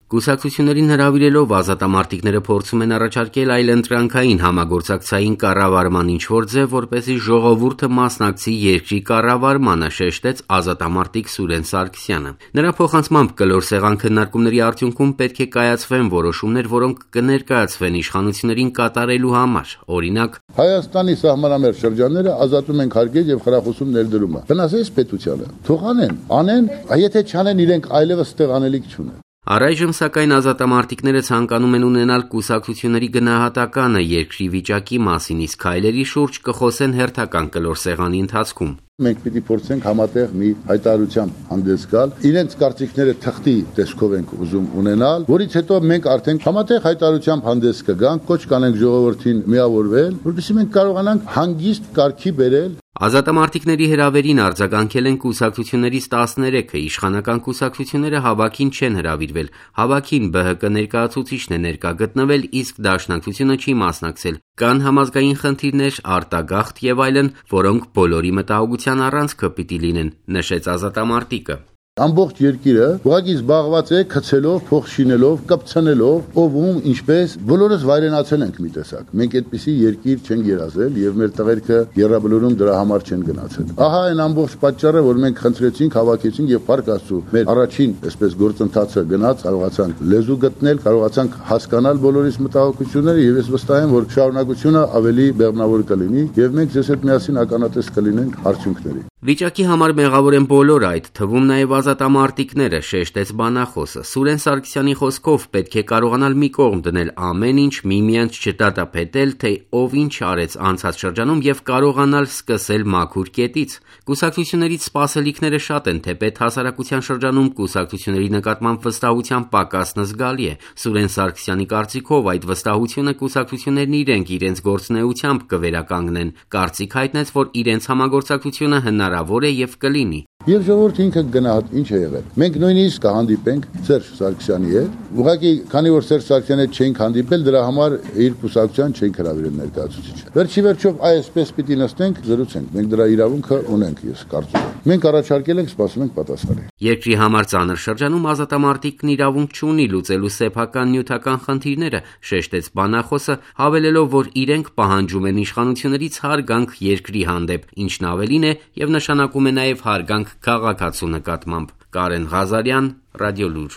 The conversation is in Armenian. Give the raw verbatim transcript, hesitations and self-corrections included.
Կուսակցություններին հրավիրելով ազատամարտիկները փորձում են առաջարկել այլընտրանքային համագործակցային կառավարման ինչ-որ ձև, որպեսզի ժողովուրդը մասնակցի երկրի կառավարմանը, շեշտեց ազատամարտիկ Սուրեն Սարգսյանը։ Նրա փոխանցմամբ կլոր սեղան քննարկումների արդյունքում պետք է կայացվեն որոշումներ, որոնք կներկայացվեն իշխանություններին կատարելու համար։ Օրինակ, Հայաստանի սահմանամերձ շրջանները ազատում են հարգել եւ խրախուսում ներդրումը։ Վնասես պետությանը։ Թող անեն, անեն, եթե չանեն իրենք այլևս ստեղ անելիք չունեն։ Առայժմ սակայն ազատամարտիկները ցանկանում են ունենալ կուսակցությունների գնահատականը երկրի վիճակի մասին, իսկ քայլերի շուրջ կխոսեն հերթական կլոր սեղանի ընթացքում։ Մենք պիտի փորձենք համատեղ մի հայտարարությամբ հանդես գալ, իրենց կարծիքները թղթի տեսքով ենք ուզում ունենալ, որից հետո մենք արդեն համատեղ հայտարարությամբ հանդես կգանք, կոչ կանենք ժողովրդին միավորվել, որովհետեւ մենք կարողանանք հանգիստ կարգի բերել։ Ազատամարտիկների հրավերին արձագանքել են կուսակցություններից տասներեքը, իշխանական կուսակցությունները հավաքին չեն հրավիրվել, հավաքին Բ Հ Կ ներկայացուցիչն է ներկա գտնվել, իսկ Դաշնակցությունը չի մասնակցել։ Կան համազգային խնդիրներ, արտագաղթ եւ այլն, որոնք բոլորի մտահոգության առանցքը պիտի լինեն, նշեց ազատամարտիկը։ Ամբողջ երկիրը ուղղակի զբաղված է գցելով, փող շինելով, կպցնելով, ով ում ինչպես բոլորս վայրենացել ենք մի տեսակ։ Մենք այդպիսի երկիր չենք երազել եւ մեր տղերքը երրաբլուրում դրա համար չեն գնացել։ Ահա այն ամբողջ պատճառը, որ մենք խնդրեցինք, հավաքեցինք եւ Փառք Աստծո մեր առաջին այսպես գործընթացը գնաց, կարողացանք լեզու գտնել, կարողացանք հասկանալ բոլորիս մտահոգությունները եւ ես վստահ եմ, որ շարունակությունը ավելի բեղմնավոր կլինի եւ մենք ձեզ հետ միասին ականատես կլինենք արդյունքների։ Վիճակի համար մեղավոր են բոլորը, այդ թվում նաև ազատամարտիկները, շեշտեց բանախոսը։ Սուրեն Սարգսյանի խոսքով պետք է կարողանալ մի կողմ դնել ամեն ինչ, միմյանց չդատապետել, թե ով ինչ արեց անցած շրջանում եւ կարողանալ սկսել մաքուր կետից։ Կուսակցություններից սպասելիքները շատ են, թեպետ հասարակության շրջանում կուսակցությունների նկատմամբ վստահության պակասն զգալի է։ Սուրեն Սարգսյանի կարծիքով այդ վստահությունը կուսակցություններն իրենք իրենց գործունեությամբ կվերականգնեն։ Կարծիք հայտնեց, որ իրենց համագործակցությունը հնարավոր է եւ կլինի։ Եվ ժողովուրդը ինքը գնահատ ինչ է եղել։ Մենք նույնիսկ կհանդիպենք Սերժ Սարգսյանի հետ։ Ուղղակի, քանի որ Սերժ Սարգսյանի հետ չենք հանդիպել, դրա համար իր կուսակցության չենք հրավիրել ներկայացուցիչը։ Վերջի վերջով այսպես պիտի նստենք, զրուցենք։ Մենք դրա իրավունքը ունենք, ես կարծում եմ։ Մենք առաջարկել ենք, սպասում ենք պատասխանի։ Երկրի համար ծանր շրջանում ազատամարտիկն իրավունք չունի լուծելու սեփական նյութական խնդիրները, շեշտեց բանախոսը, հավելելով, որ իրենք պահանջում են իշխանություններից հարգանք երկրի հանդեպ, ինչն ավելին է եւ նշանակում է նաեւ հարգանք քաղաքացու նկատմամբ։ Կարեն Ղազարյան, Ռադիոլուր։